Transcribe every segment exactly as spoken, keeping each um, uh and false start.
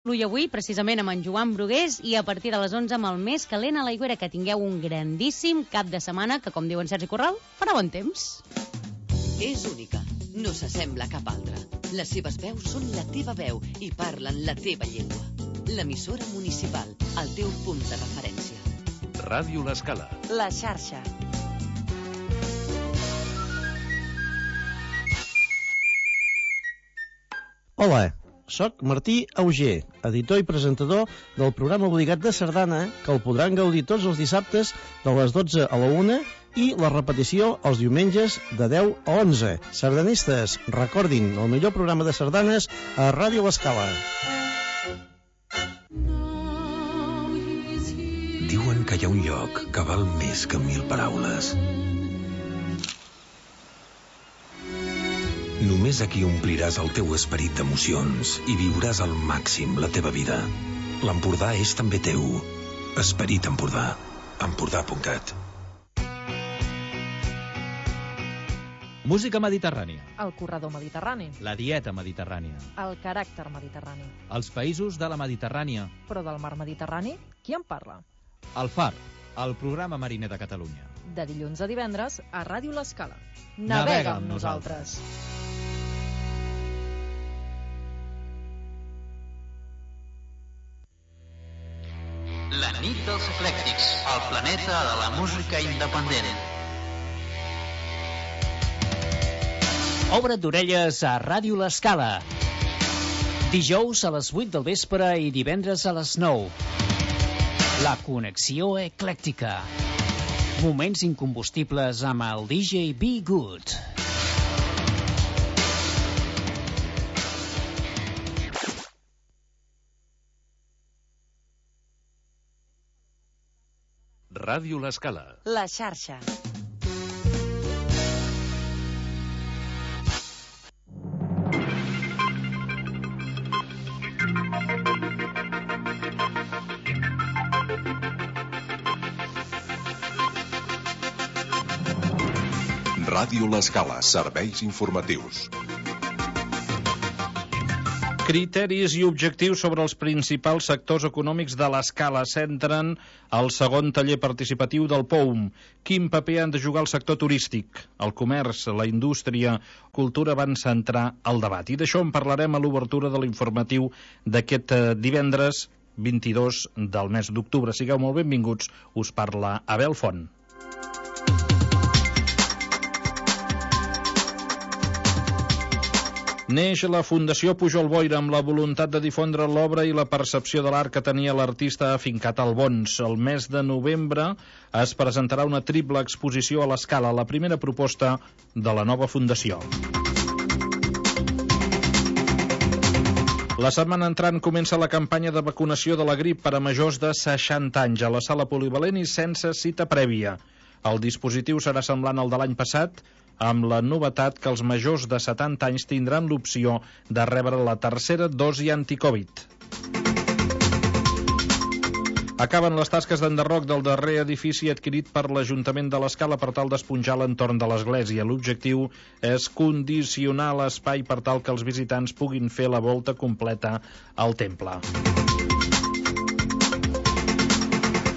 I avui, precisament, amb en Joan Brugués i a partir de les onze amb el més calent a l'Aigüera. Que tingueu un grandíssim cap de setmana que, com diuen Sergi Corral, farà bon temps. És única, no s'assembla a cap altra. Les seves veus són la teva veu i parlen la teva llengua. L'emissora municipal, el teu punt de referència. Ràdio L'Escala. La xarxa. Hola. Soc Martí Auger, editor i presentador del programa obligat de Sardana, que el podran gaudir tots els dissabtes de les dotze a la una i la repetició els diumenges de deu a onze. Sardanistes, recordin, el millor programa de sardanes a Ràdio L'Escala. Diuen que hi ha un lloc que val més que mil paraules. Només aquí ompliràs el teu esperit d'emocions i viuràs al màxim la teva vida. L'Empordà és també teu. Esperit Empordà. Empordà punt cat. Música mediterrània. El corredor mediterrani. La dieta mediterrània. El caràcter mediterrani. Els països de la Mediterrània. Però del mar Mediterrani, qui en parla? El Far, el programa mariner de Catalunya. De dilluns a divendres a Ràdio L'Escala. Navega, Navega amb amb nosaltres. La nit dels eclèctics, el planeta de la música independent. Obre't d'orelles a Ràdio L'Escala. Dijous a les vuit del vespre i divendres a les nou. La connexió eclèctica. Moments incombustibles amb el D J Be Good. Ràdio L'Escala. La xarxa. Ràdio L'Escala. Serveis informatius. Criteris i objectius sobre els principals sectors econòmics de l'Escala centren el segon taller participatiu del P O U M. Quin paper han de jugar el sector turístic? El comerç, la indústria, cultura van centrar el debat. I d'això en parlarem a l'obertura de l'informatiu d'aquest divendres vint-i-dos del mes d'octubre. Sigueu molt benvinguts, us parla Abel Font. Neix la Fundació Pujol Boira amb la voluntat de difondre l'obra i la percepció de l'art que tenia l'artista afincat al Bons. El mes de novembre es presentarà una triple exposició a l'Escala, la primera proposta de la nova fundació. La setmana entrant comença la campanya de vacunació de la grip per a majors de seixanta anys a la sala polivalent i sense cita prèvia. El dispositiu serà semblant al de l'any passat, amb la novetat que els majors de setanta anys tindran l'opció de rebre la tercera dosi anticovid. Acaben les tasques d'enderroc del darrer edifici adquirit per l'Ajuntament de l'Escala per tal d'esponjar l'entorn de l'església. L'objectiu és condicionar l'espai per tal que els visitants puguin fer la volta completa al temple.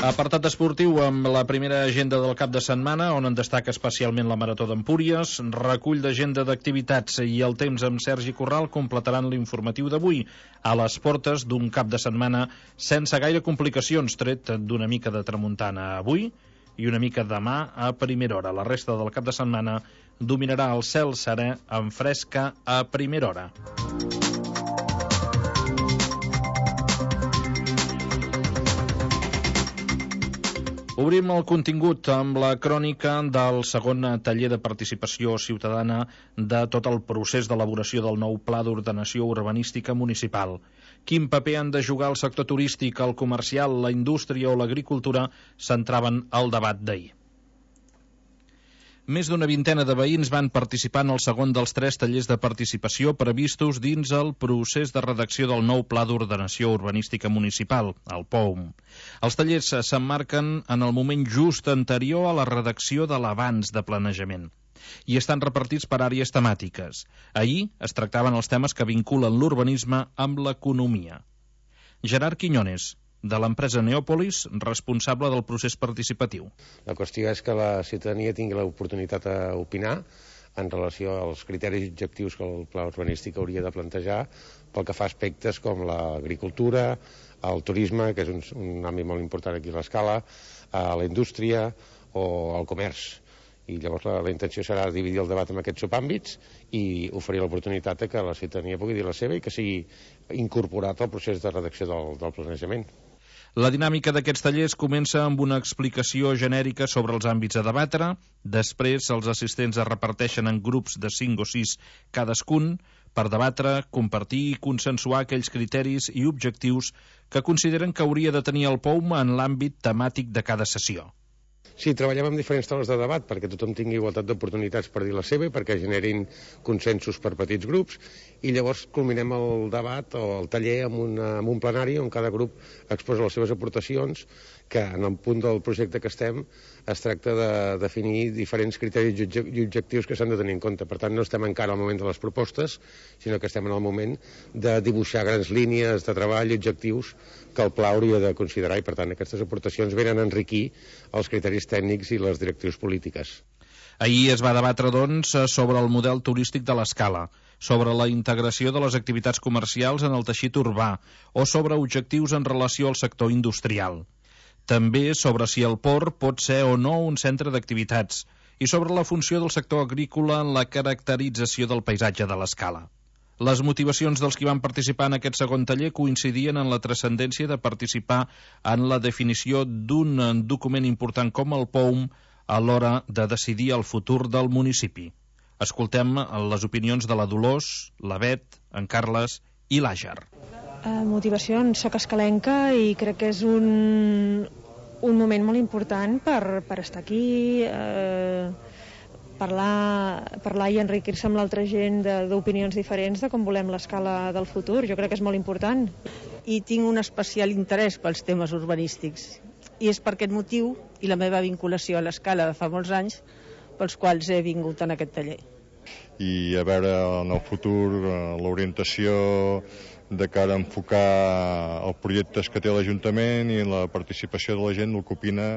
Apartat esportiu amb la primera agenda del cap de setmana, on en destaca especialment la Marató d'Empúries, recull d'agenda d'activitats i el temps amb Sergi Corral completaran l'informatiu d'avui, a les portes d'un cap de setmana sense gaire complicacions, tret d'una mica de tramuntana avui i una mica demà a primera hora. La resta del cap de setmana dominarà el cel serè amb fresca a primera hora. Obrim el contingut amb la crònica del segon taller de participació ciutadana de tot el procés d'elaboració del nou Pla d'Ordenació Urbanística Municipal. Quin paper han de jugar el sector turístic, el comercial, la indústria o l'agricultura centraven el debat d'ahir. Més d'una vintena de veïns van participar en el segon dels tres tallers de participació previstos dins el procés de redacció del nou Pla d'Ordenació Urbanística Municipal, el P O U M. Els tallers s'emmarquen en el moment just anterior a la redacció de l'avanç de planejament i estan repartits per àrees temàtiques. Ahir es tractaven els temes que vinculen l'urbanisme amb l'economia. Gerard Quiñones, de l'empresa Neòpolis, responsable del procés participatiu. La qüestió és que la ciutadania tingui l'oportunitat a opinar en relació als criteris i objectius que el pla urbanístic hauria de plantejar pel que fa a aspectes com l'agricultura, el turisme, que és un, un àmbit molt important aquí a l'Escala, a la indústria o al comerç. I llavors la, la intenció serà dividir el debat en aquests subàmbits i oferir l'oportunitat que la ciutadania pugui dir la seva i que sigui incorporat al procés de redacció del, del planejament. La dinàmica d'aquests tallers comença amb una explicació genèrica sobre els àmbits a debatre, després els assistents es reparteixen en grups de cinc o sis cadascun per debatre, compartir i consensuar aquells criteris i objectius que consideren que hauria de tenir el P O U M en l'àmbit temàtic de cada sessió. Sí, treballem amb diferents taules de debat perquè tothom tingui igualtat d'oportunitats per dir la seva i perquè generin consensos per petits grups i llavors culminem el debat o el taller amb, una, amb un plenari on cada grup exposa les seves aportacions, que en el punt del projecte que estem es tracta de definir diferents criteris i objectius que s'han de tenir en compte. Per tant, no estem encara al moment de les propostes, sinó que estem en el moment de dibuixar grans línies de treball i objectius que el pla hauria de considerar i, per tant, aquestes aportacions venen a enriquir els criteris tècnics i les directrius polítiques. Ahir es va debatre, doncs, sobre el model turístic de l'Escala, sobre la integració de les activitats comercials en el teixit urbà o sobre objectius en relació al sector industrial. També sobre si el port pot ser o no un centre d'activitats i sobre la funció del sector agrícola en la caracterització del paisatge de l'Escala. Les motivacions dels qui van participar en aquest segon taller coincidien en la transcendència de participar en la definició d'un document important com el P O U M a l'hora de decidir el futur del municipi. Escoltem les opinions de la Dolors, la Bet, en Carles i l'Àger. Uh, motivacions, soc escalenca i crec que és un, un moment molt important per, per estar aquí, uh, parlar, parlar i enriquir-se amb l'altra gent d'opinions diferents de com volem l'Escala del futur. Jo crec que és molt important. I tinc un especial interès pels temes urbanístics. I és per aquest motiu i la meva vinculació a l'Escala de fa molts anys pels quals he vingut en aquest taller. I a veure en el futur l'orientació de cara a enfocar els projectes que té l'Ajuntament i la participació de la gent, el que opina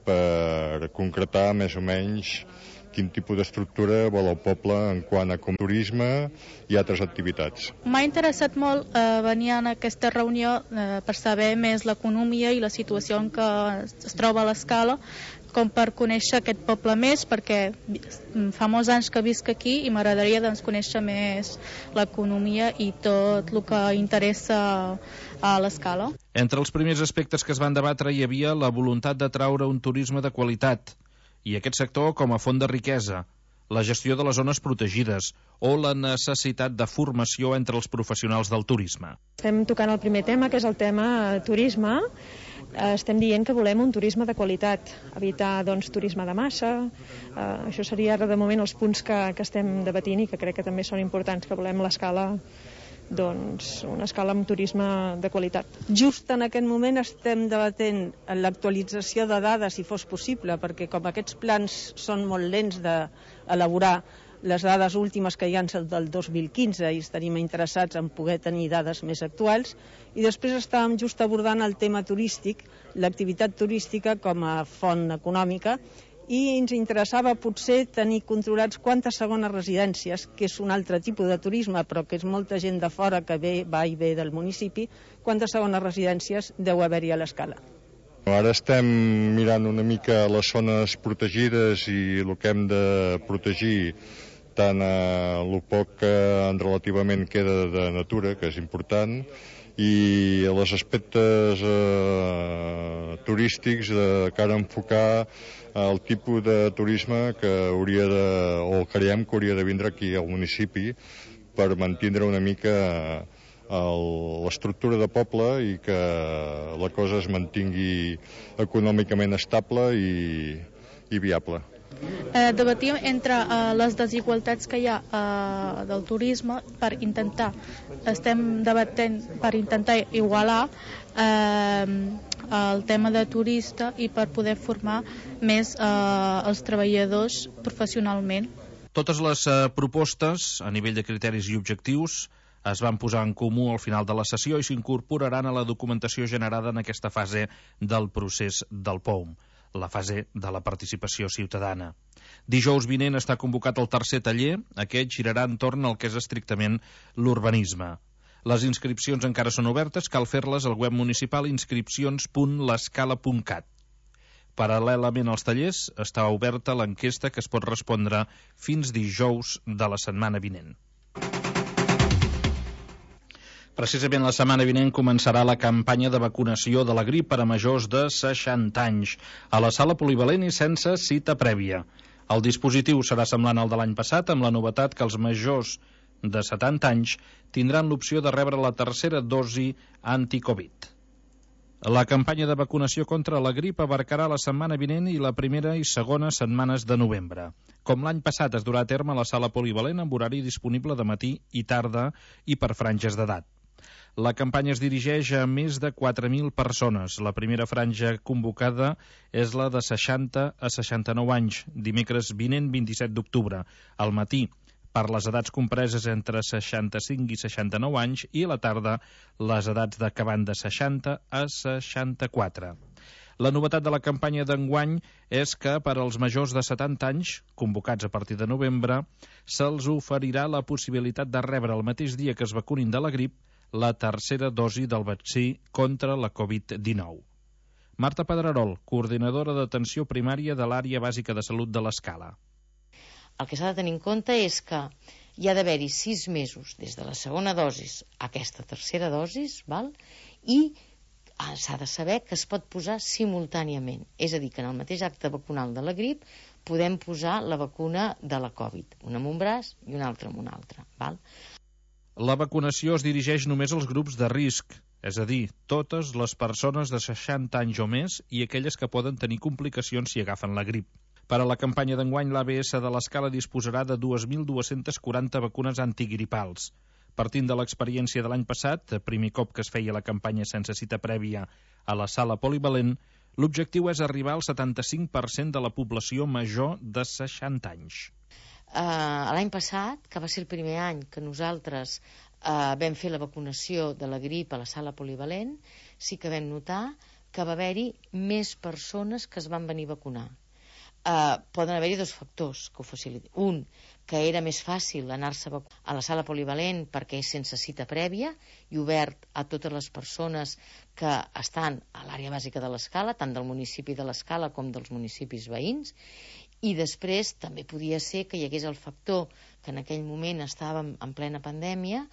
per concretar més o menys quin tipus d'estructura vol el poble en quant a turisme i altres activitats. M'ha interessat molt eh, venir a aquesta reunió eh, per saber més l'economia i la situació en què es troba l'Escala, com per conèixer aquest poble més, perquè fa molts anys que visc aquí i m'agradaria doncs, conèixer més l'economia i tot el que interessa a l'Escala. Entre els primers aspectes que es van debatre hi havia la voluntat d'atraure un turisme de qualitat i aquest sector com a font de riquesa, la gestió de les zones protegides o la necessitat de formació entre els professionals del turisme. Estem tocant el primer tema, que és el tema turisme. Estem dient que volem un turisme de qualitat, evitar doncs, turisme de massa. Uh, això seria ara de moment els punts que, que estem debatint i que crec que també són importants, que volem l'Escala, doncs, una escala amb turisme de qualitat. Just en aquest moment estem debatent l'actualització de dades, si fos possible, perquè com aquests plans són molt lents d'elaborar, les dades últimes que hi ha són del dos mil quinze i estaríem interessats en poder tenir dades més actuals. I després estàvem just abordant el tema turístic, l'activitat turística com a font econòmica, i ens interessava potser tenir controlats quantes segones residències, que és un altre tipus de turisme, però que és molta gent de fora que ve, va i ve del municipi, quantes segones residències deu haver-hi a l'Escala. Ara estem mirant una mica les zones protegides i el que hem de protegir, tant a el poc que relativament queda de natura, que és important, i els aspectes eh, turístics de cara a enfocar el tipus de turisme que hauria de, o creiem que hauria de vindre aquí al municipi per mantindre una mica l'estructura de poble i que la cosa es mantingui econòmicament estable i, i viable. Eh, debatíem entre eh, les desigualtats que hi ha eh, del turisme per intentar, estem debatent per intentar igualar eh, el tema de turista i per poder formar més eh, els treballadors professionalment. Totes les eh, propostes, a nivell de criteris i objectius, es van posar en comú al final de la sessió i s'incorporaran a la documentació generada en aquesta fase del procés del P O U M, la fase de la participació ciutadana. Dijous vinent està convocat el tercer taller, aquest girarà entorn al que és estrictament l'urbanisme. Les inscripcions encara són obertes, cal fer-les al web municipal inscripcions punt l'escala punt cat. Paral·lelament als tallers està oberta l'enquesta que es pot respondre fins dijous de la setmana vinent. Precisament la setmana vinent començarà la campanya de vacunació de la grip per a majors de seixanta anys, a la sala polivalent i sense cita prèvia. El dispositiu serà semblant al de l'any passat, amb la novetat que els majors de setanta anys tindran l'opció de rebre la tercera dosi anti-Covid. La campanya de vacunació contra la grip abarcarà la setmana vinent i la primera i segona setmanes de novembre. Com l'any passat es durà a terme a la sala polivalent amb horari disponible de matí i tarda i per franges d'edat. La campanya es dirigeix a més de quatre mil persones. La primera franja convocada és la de seixanta a seixanta-nou anys, dimecres vinent vint-i-set d'octubre, al matí, per les edats compreses entre seixanta-cinc i seixanta-nou anys i a la tarda les edats de que van de seixanta a seixanta-quatre. La novetat de la campanya d'enguany és que per als majors de setanta anys, convocats a partir de novembre, se'ls oferirà la possibilitat de rebre el mateix dia que es vacunin de la grip la tercera dosi del vaccí contra la Covid dinou. Marta Pedrerol, coordinadora d'atenció primària de l'àrea bàsica de salut de l'Escala. El que s'ha de tenir en compte és que hi ha d'haver-hi sis mesos des de la segona dosi a aquesta tercera dosi, val? I s'ha de saber que es pot posar simultàniament. És a dir, que en el mateix acte vacunal de la grip podem posar la vacuna de la Covid, una amb un braç i una altra amb un altre. Val? La vacunació es dirigeix només als grups de risc, és a dir, totes les persones de seixanta anys o més i aquelles que poden tenir complicacions si agafen la grip. Per a la campanya d'enguany, l'A B S de l'Escala disposarà de dos mil dos-cents quaranta vacunes antigripals. Partint de l'experiència de l'any passat, primer cop que es feia la campanya sense cita prèvia a la sala polivalent, l'objectiu és arribar al setanta-cinc per cent de la població major de seixanta anys. Uh, L'any passat, que va ser el primer any que nosaltres uh, vam fer la vacunació de la grip a la sala polivalent, sí que vam notar que va haver-hi més persones que es van venir a vacunar. Uh, poden haver-hi dos factors que ho facilitin. Un, que era més fàcil anar-se a la sala polivalent perquè és sense cita prèvia i obert a totes les persones que estan a l'àrea bàsica de l'Escala, tant del municipi de l'Escala com dels municipis veïns. I després també podia ser que hi hagués el factor que en aquell moment estàvem en plena pandèmia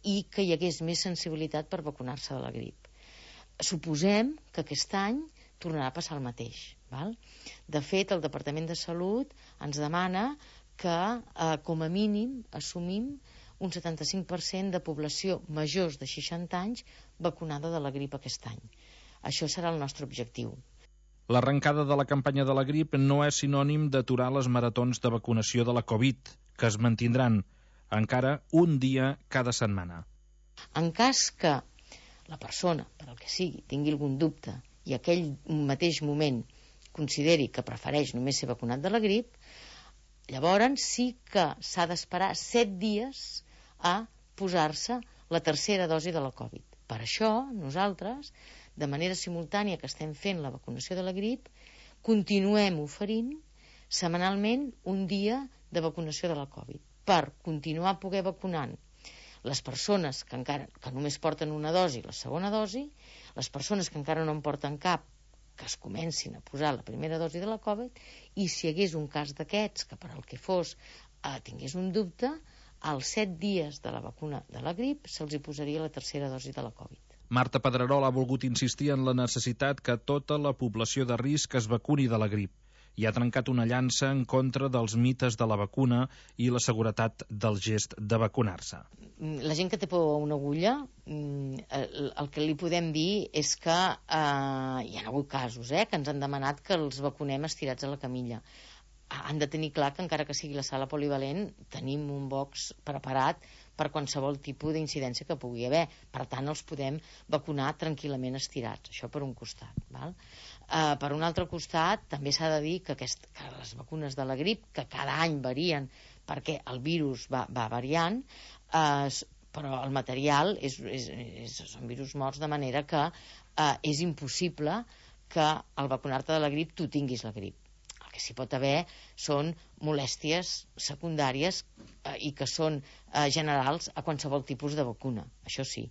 i que hi hagués més sensibilitat per vacunar-se de la grip. Suposem que aquest any tornarà a passar el mateix. Val? De fet, el Departament de Salut ens demana que, eh, com a mínim, assumim un setanta-cinc per cent de població majors de seixanta anys vacunada de la grip aquest any. Això serà el nostre objectiu. L'arrencada de la campanya de la grip no és sinònim d'aturar les maratons de vacunació de la Covid, que es mantindran encara un dia cada setmana. En cas que la persona, per al que sigui, tingui algun dubte i aquell mateix moment consideri que prefereix només ser vacunat de la grip, llavors sí que s'ha d'esperar set dies a posar-se la tercera dosi de la Covid. Per això, nosaltres, de manera simultània que estem fent la vacunació de la grip, continuem oferint setmanalment un dia de vacunació de la Covid, per continuar poder vacunant les persones que encara que només porten una dosi, la segona dosi, les persones que encara no en porten cap, que es comencin a posar la primera dosi de la Covid, i si hi hagués un cas d'aquests, que per al que fos eh, tingués un dubte, als set dies de la vacuna de la grip se'ls hi posaria la tercera dosi de la Covid. Marta Pedrerol ha volgut insistir en la necessitat que tota la població de risc es vacuni de la grip i ha trencat una llança en contra dels mites de la vacuna i la seguretat del gest de vacunar-se. La gent que té por a una agulla, el, el que li podem dir és que eh, hi ha hagut casos eh, que ens han demanat que els vacunem estirats a la camilla. Han de tenir clar que encara que sigui la sala polivalent tenim un box preparat per qualsevol tipus d'incidència que pugui haver. Per tant, els podem vacunar tranquil·lament estirats. Això per un costat. Val? Uh, per un altre costat, també s'ha de dir que, aquest, que les vacunes de la grip, que cada any varien perquè el virus va, va variant, uh, però el material és, és, és, són virus morts, de manera que eh, és impossible que al vacunar-te de la grip tu tinguis la grip. El que s'hi pot haver són molèsties secundàries eh, i que són eh, generals a qualsevol tipus de vacuna, això sí,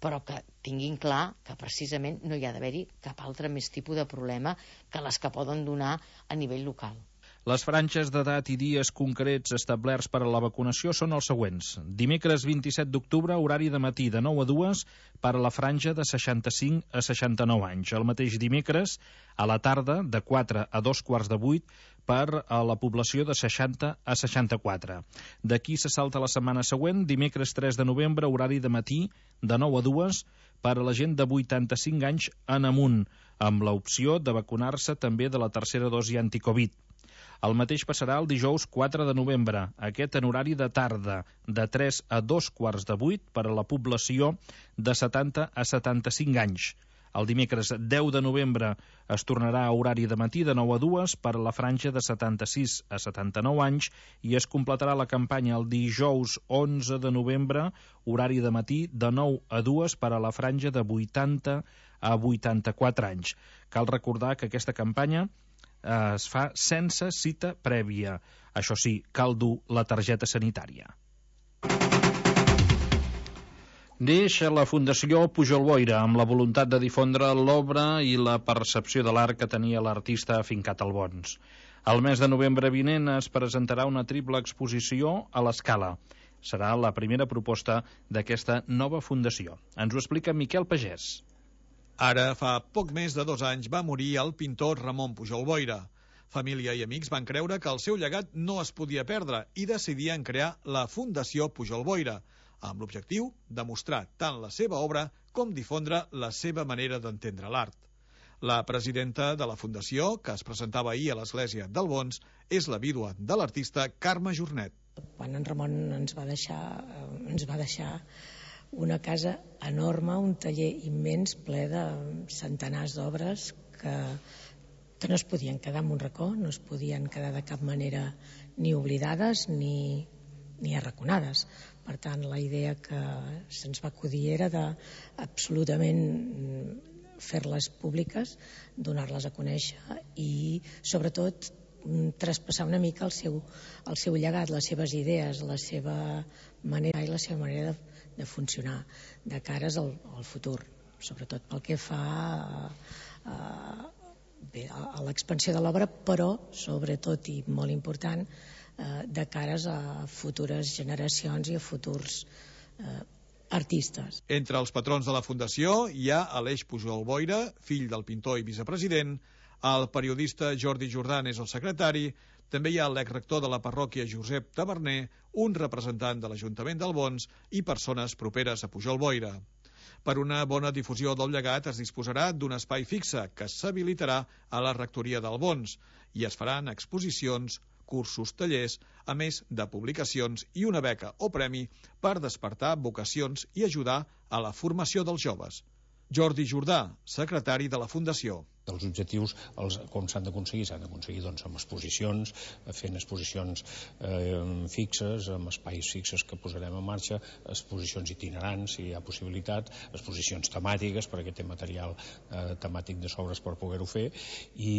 però que tinguin clar que precisament no hi ha d'haver-hi cap altre més tipus de problema que les que poden donar a nivell local. Les franges d'edat i dies concrets establerts per a la vacunació són els següents. Dimecres vint-i-set d'octubre, horari de matí de nou a dues per a la franja de seixanta-cinc a seixanta-nou anys. El mateix dimecres, a la tarda, de quatre a dos quarts de vuit, per a la població de seixanta a seixanta-quatre. D'aquí se salta la setmana següent, dimecres tres de novembre, horari de matí de nou a dues per a la gent de vuitanta-cinc anys en amunt, amb l'opció de vacunar-se també de la tercera dosi anticovid. El mateix passarà el dijous quatre de novembre, aquest en horari de tarda, de tres a dos quarts de vuit per a la població de setanta a setanta-cinc anys. El dimecres deu de novembre es tornarà a horari de matí de nou a dues per a la franja de setanta-sis a setanta-nou anys i es completarà la campanya el dijous onze de novembre, horari de matí de nou a dues per a la franja de vuitanta a vuitanta-quatre anys. Cal recordar que aquesta campanya es fa sense cita prèvia. Això sí, cal dur la targeta sanitària. Neix la Fundació Pujol Boira amb la voluntat de difondre l'obra i la percepció de l'art que tenia l'artista afincat al Bons. El mes de novembre vinent es presentarà una triple exposició a l'Escala. Serà la primera proposta d'aquesta nova fundació. Ens ho explica Miquel Pagès. Ara, fa poc més de dos anys, va morir el pintor Ramon Pujol Boira. Família i amics van creure que el seu llegat no es podia perdre i decidien crear la Fundació Pujol Boira, amb l'objectiu de mostrar tant la seva obra com difondre la seva manera d'entendre l'art. La presidenta de la Fundació, que es presentava ahir a l'església del Bons, és la vídua de l'artista Carme Jornet. Quan en Ramon ens va deixar, ens va deixar una casa enorme, un taller immens ple de centenars d'obres que, que no es podien quedar en un racó, no es podien quedar de cap manera ni oblidades ni, ni arraconades. Per tant, la idea que se'ns va acudir era de absolutament fer-les públiques, donar-les a conèixer i, sobretot, traspassar una mica el seu, el seu llegat, les seves idees, la seva manera i la seva manera de de funcionar de cares al, al futur, sobretot pel que fa a, a, bé, a l'expansió de l'obra, però sobretot i molt important de cares a futures generacions i a futurs eh, artistes. Entre els patrons de la Fundació hi ha Aleix Pujol Boira, fill del pintor i vicepresident, el periodista Jordi Jordan és el secretari, també hi ha l'exrector de la parròquia Josep Taverner, un representant de l'Ajuntament del Bons i persones properes a Pujol Boira. Per una bona difusió del llegat es disposarà d'un espai fixe que s'habilitarà a la rectoria del Bons i es faran exposicions, cursos, tallers, a més de publicacions i una beca o premi per despertar vocacions i ajudar a la formació dels joves. Jordi Jordà, secretari de la Fundació. Els objectius, els, com s'han d'aconseguir? S'han d'aconseguir doncs, amb exposicions, fent exposicions eh, fixes, amb espais fixes que posarem en marxa, exposicions itinerants, si hi ha possibilitat, exposicions temàtiques, perquè té material eh, temàtic de sobres per poder-ho fer, i,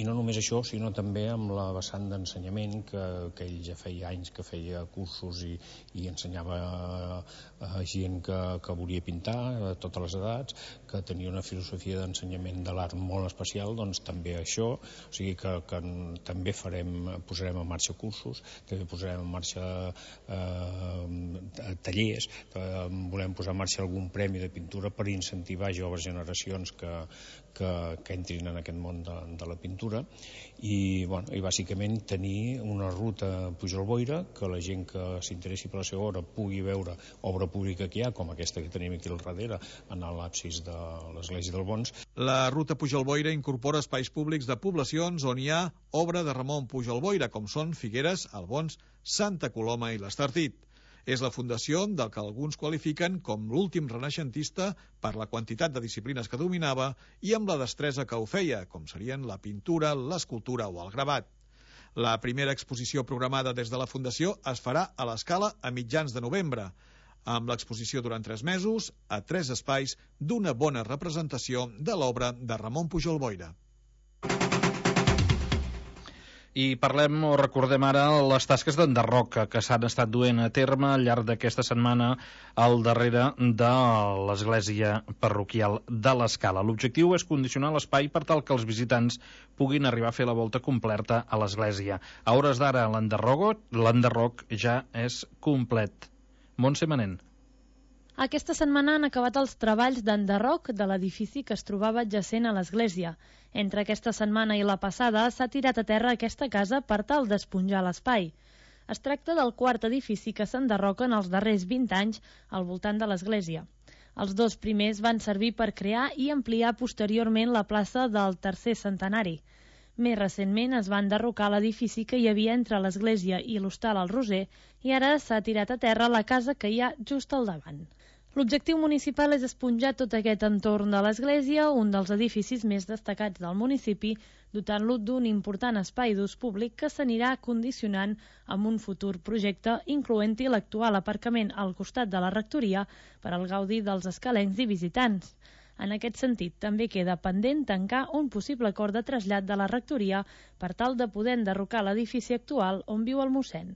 i no només això, sinó també amb la vessant d'ensenyament, que, que ell ja feia anys que feia cursos i, i ensenyava a, a gent que, que volia pintar, a totes les edats, que tenia una filosofia d'ensenyament de l'art molt especial, doncs també això, o sigui que, que també farem, posarem en marxa cursos, també posarem en marxa eh, tallers, eh, volem posar en marxa algun premi de pintura per incentivar joves generacions que, que, que entrin en aquest món de, de la pintura i, bueno, i bàsicament tenir una ruta Pujol Boira que la gent que s'interessi per la seva obra pugui veure obra pública que hi ha, com aquesta que tenim aquí al darrere, en l'absis de l'església del Bons. La ruta Pujol Boira incorpora espais públics de poblacions on hi ha obra de Ramon Pujol Boira, com són Figueres, el Bons, Santa Coloma i l'Estartit. És la fundació del que alguns qualifiquen com l'últim renaixentista per la quantitat de disciplines que dominava i amb la destresa que ho feia, com serien la pintura, l'escultura o el gravat. La primera exposició programada des de la Fundació es farà a l'Escala a mitjans de novembre. amb l'exposició durant tres mesos a tres espais d'una bona representació de l'obra de Ramon Pujol Boira. I parlem o recordem ara les tasques d'enderroc que s'han estat duent a terme al llarg d'aquesta setmana al darrere de l'església parroquial de l'Escala. L'objectiu és condicionar l'espai per tal que els visitants puguin arribar a fer la volta completa a l'església. A hores d'ara l'enderroc ja és complet. Montse Manent. Aquesta setmana han acabat els treballs d'enderroc de l'edifici que es trobava adjacent a l'església. Entre aquesta setmana i la passada s'ha tirat a terra aquesta casa per tal d'esponjar l'espai. Es tracta del quart edifici que s'enderroca en els darrers vint anys al voltant de l'església. Els dos primers van servir per crear i ampliar posteriorment la plaça del tercer centenari. Més recentment es va enderrocar l'edifici que hi havia entre l'església i l'hostal al Roser i ara s'ha tirat a terra la casa que hi ha just al davant. L'objectiu municipal és esponjar tot aquest entorn de l'església, un dels edificis més destacats del municipi, dotant-lo d'un important espai d'ús públic que s'anirà condicionant amb un futur projecte, incloent-hi l'actual aparcament al costat de la rectoria per al gaudi dels escalencs i visitants. En aquest sentit, també queda pendent tancar un possible acord de trasllat de la rectoria per tal de poder enderrocar l'edifici actual on viu el mossèn.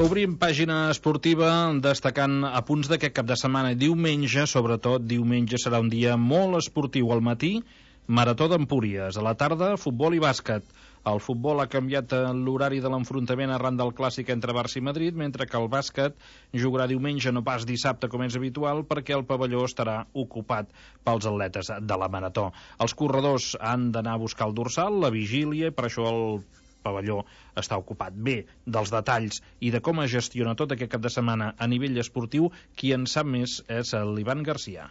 Obrim pàgina esportiva destacant apunts d'aquest cap de setmana. Diumenge, sobretot, diumenge serà un dia molt esportiu. Al matí, Marató d'Empúries. A la tarda, futbol i bàsquet. El futbol ha canviat l'horari de l'enfrontament arran del clàssic entre Barça i Madrid, mentre que el bàsquet jugarà diumenge, no pas dissabte com és habitual, perquè el pavelló estarà ocupat pels atletes de la Marató. Els corredors han d'anar a buscar el dorsal, la vigília, i per això el pavelló està ocupat. Bé, dels detalls i de com es gestiona tot aquest cap de setmana a nivell esportiu, qui en sap més és l'Ivan Garcia.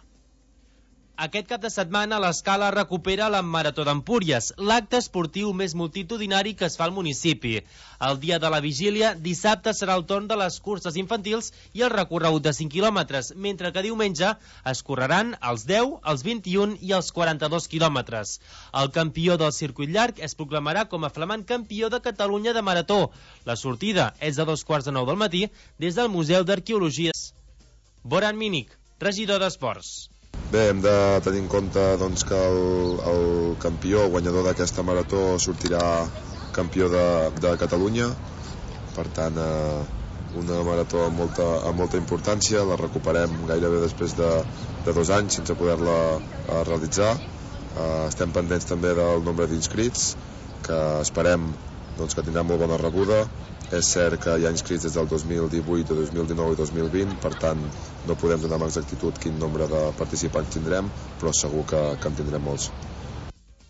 Aquest cap de setmana l'Escala recupera la Marató d'Empúries, l'acte esportiu més multitudinari que es fa al municipi. El dia de la vigília, dissabte serà el torn de les curses infantils i el recorregut de cinc quilòmetres, mentre que diumenge es correran els deu, els vint-i-un i els quaranta-dos quilòmetres. El campió del circuit llarg es proclamarà com a flamant campió de Catalunya de Marató. La sortida és a dos quarts de nou del matí des del Museu d'Arqueologies. Boran Mínic, regidor d'Esports. Bé, hem de tenir en compte doncs, que el, el campió, guanyador d'aquesta marató, sortirà campió de, de Catalunya. Per tant, eh, una marató amb molta, amb molta importància. La recuperem gairebé després de, de dos anys sense poder-la eh, realitzar. Eh, estem pendents també del nombre d'inscrits, que esperem doncs, que tindrà molt bona rebuda. És cert que hi ha inscrits des del dos mil divuit, dos mil dinou i dos mil vint, per tant no podem donar amb exactitud quin nombre de participants tindrem, però segur que, que en tindrem molts.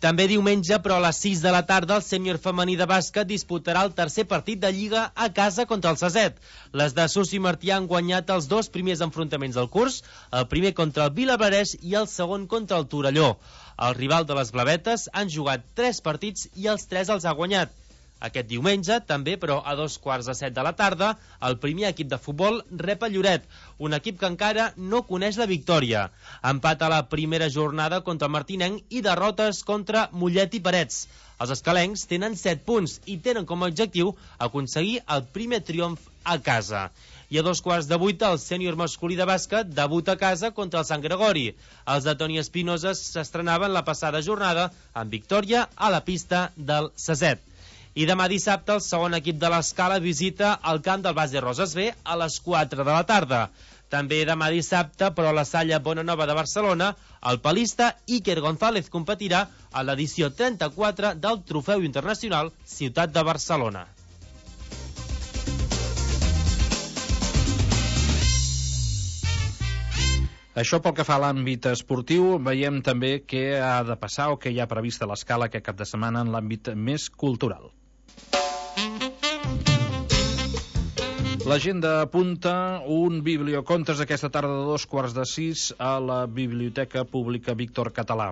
També diumenge, però a les sis de la tarda, el sènior femení de bàsquet disputarà el tercer partit de Lliga a casa contra el Saset. Les de Susi Martí han guanyat els dos primers enfrontaments del curs, el primer contra el Vilablareix i el segon contra el Torelló. El rival de les Blavetes han jugat tres partits i els tres els ha guanyat. Aquest diumenge, també, però a dos quarts de set de la tarda, el primer equip de futbol rep a Lloret, un equip que encara no coneix la victòria. Empat a la primera jornada contra el Martinenc i derrotes contra Mollet i Parets. Els escalencs tenen set punts i tenen com a objectiu aconseguir el primer triomf a casa. I a dos quarts de vuit, el sènior masculí de bàsquet debuta a casa contra el Sant Gregori. Els de Toni Espinosa s'estrenaven la passada jornada amb victòria a la pista del Saset. I demà dissabte el segon equip de l'Escala visita el camp del Base Roses B a les quatre de la tarda. També demà dissabte, però a la Salla Bonanova de Barcelona, el palista Iker González competirà a l'edició trenta-quatre del Trofeu Internacional Ciutat de Barcelona. Això pel que fa a l'àmbit esportiu, veiem també què ha de passar o què hi ha previst a l'Escala aquest cap de setmana en l'àmbit més cultural. L'agenda apunta un bibliocontes aquesta tarda de dos quarts de sis a la Biblioteca Pública Víctor Català.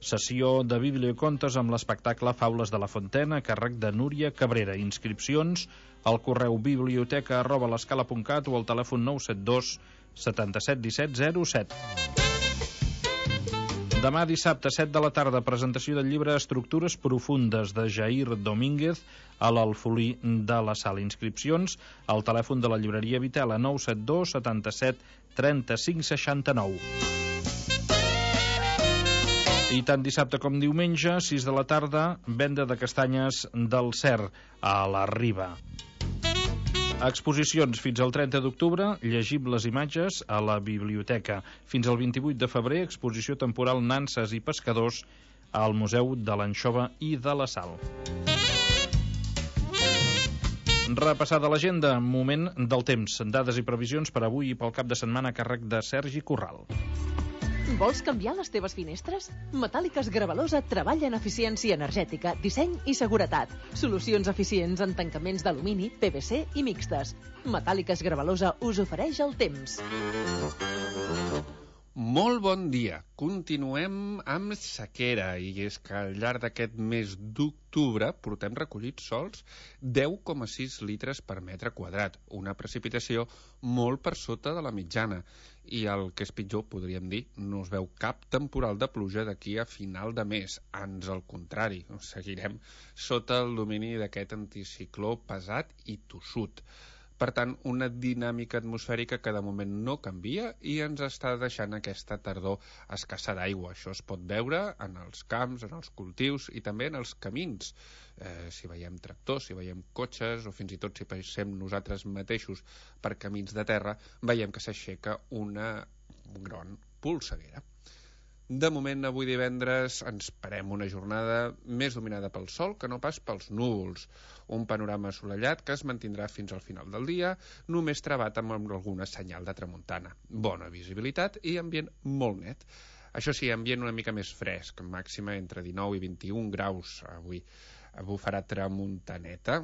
Sessió de bibliocontes amb l'espectacle Faules de la Fontena, a càrrec de Núria Cabrera. Inscripcions al correu biblioteca arroba l'escala punt cat o al telèfon nou set dos setanta-set disset zero set. Demà dissabte, set de la tarda, presentació del llibre Estructures profundes de Jair Domínguez a l'Alfolí de la Sal. Inscripcions al telèfon de la llibreria Vitela, nou set dos setanta-set trenta-cinc seixanta-nou. I tant dissabte com diumenge, sis de la tarda, venda de castanyes del Cer a la Riba. Exposicions fins al trenta d'octubre, llegibles imatges a la biblioteca. Fins al vint-i-vuit de febrer, exposició temporal Nanses i pescadors al Museu de l'Anxova i de la Sal. Repassada l'agenda, moment del temps. Dades i previsions per avui i pel cap de setmana a càrrec de Sergi Corral. Vols canviar les teves finestres? Metàl·liques Gravalosa treballa en eficiència energètica, disseny i seguretat. Solucions eficients en tancaments d'alumini, P V C i mixtes. Metàl·liques Gravalosa us ofereix el temps. Molt bon dia. Continuem amb sequera, i és que al llarg d'aquest mes d'octubre portem recollits sols deu coma sis litres per metre quadrat, una precipitació molt per sota de la mitjana. I el que és pitjor, podríem dir, no es veu cap temporal de pluja d'aquí a final de mes. Ans al contrari, seguirem sota el domini d'aquest anticicló pesat i tossut. Per tant, una dinàmica atmosfèrica que de moment no canvia i ens està deixant aquesta tardor escassa d'aigua. Això es pot veure en els camps, en els cultius i també en els camins. Eh, si veiem tractors, si veiem cotxes o fins i tot si passem nosaltres mateixos per camins de terra, veiem que s'aixeca una gran polseguera. De moment, avui divendres, ens parem una jornada més dominada pel sol que no pas pels núvols. Un panorama assolellat que es mantindrà fins al final del dia, només travat amb alguna senyal de tramuntana. Bona visibilitat i ambient molt net. Això sí, ambient una mica més fresc, màxima entre dinou i vint-i-un graus avui. Bufarà tramuntaneta,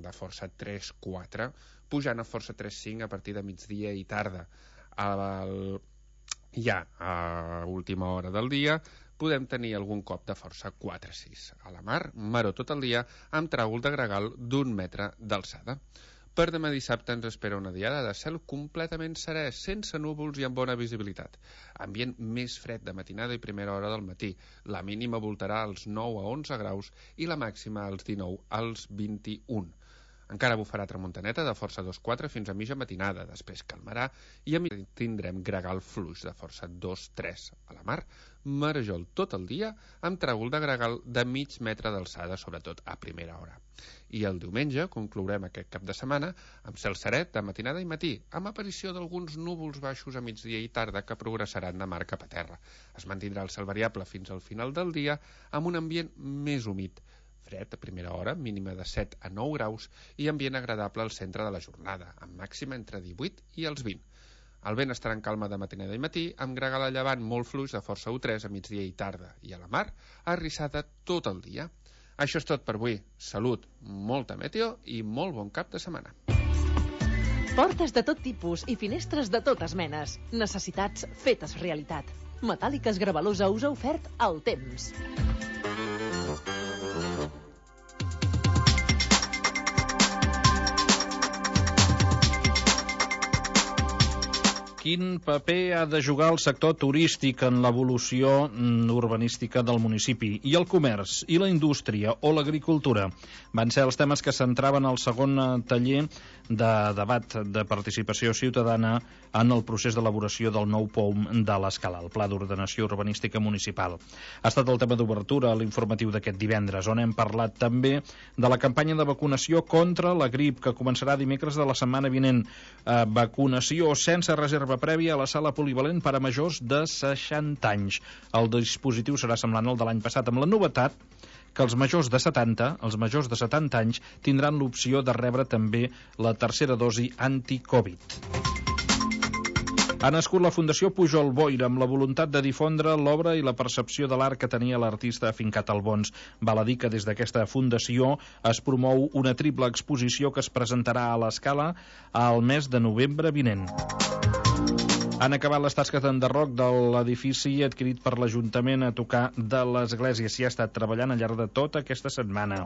de força tres quatre, pujant a força tres cinc a partir de migdia i tarda. El... Ja a última hora del dia podem tenir algun cop de força quatre sis. A la mar, maró tot el dia amb tràgol de gregal d'un metre d'alçada. Per demà dissabte ens espera una diada de cel completament serè, sense núvols i amb bona visibilitat. Ambient més fred de matinada i primera hora del matí. La mínima voltarà als nou a onze graus i la màxima als dinou als vint-i-un. Encara bufarà tramuntaneta de força dos quatre fins a mitja matinada, després calmarà i a mi tindrem gregal fluix de força dos tres. A la mar, marejol tot el dia amb tràgol de gregal de mig metre d'alçada, sobretot a primera hora. I el diumenge conclourem aquest cap de setmana amb cel serè de matinada i matí, amb aparició d'alguns núvols baixos a migdia i tarda que progressaran de mar cap a terra. Es mantindrà el cel variable fins al final del dia amb un ambient més humit. Fred a primera hora, mínima de set a nou graus i ambient agradable al centre de la jornada, amb màxima entre divuit i els vint. El vent estarà en calma de matinada i matí, amb gregal a llevant molt fluix de força u tres a migdia i tarda, i a la mar, arrissada tot el dia. Això és tot per avui. Salut, molta meteo i molt bon cap de setmana. Portes de tot tipus i finestres de totes menes. Necessitats fetes realitat. Metàl·liques Gravalosa us ha ofert el temps. Quin paper ha de jugar el sector turístic en l'evolució urbanística del municipi? I el comerç, i la indústria o l'agricultura? Van ser els temes que centraven el segon taller de debat de participació ciutadana en el procés d'elaboració del nou P O M de l'Escala, el Pla d'Ordenació Urbanística Municipal. Ha estat el tema d'obertura a l'informatiu d'aquest divendres, on hem parlat també de la campanya de vacunació contra la grip, que començarà dimecres de la setmana vinent. Eh, vacunació sense reserva prèvia a la sala polivalent per a majors de seixanta anys. El dispositiu serà semblant al de l'any passat, amb la novetat que els majors de setanta, els majors de setanta anys, tindran l'opció de rebre també la tercera dosi anti-Covid. Ha nascut la Fundació Pujol Boira amb la voluntat de difondre l'obra i la percepció de l'art que tenia l'artista afincat al Bons. Val a dir que des d'aquesta fundació es promou una triple exposició que es presentarà a l'Escala al mes de novembre vinent. Han acabat les tasques d'enderroc de l'edifici adquirit per l'Ajuntament a tocar de l'Església. S'hi ha estat treballant al llarg de tota aquesta setmana.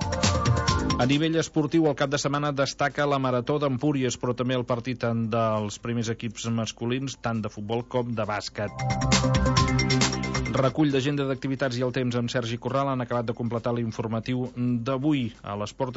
A nivell esportiu, el cap de setmana destaca la Marató d'Empúries, però també el partit tant dels primers equips masculins, tant de futbol com de bàsquet. Recull d'agenda d'activitats i el temps amb Sergi Corral han acabat de completar l'informatiu d'avui. A les portes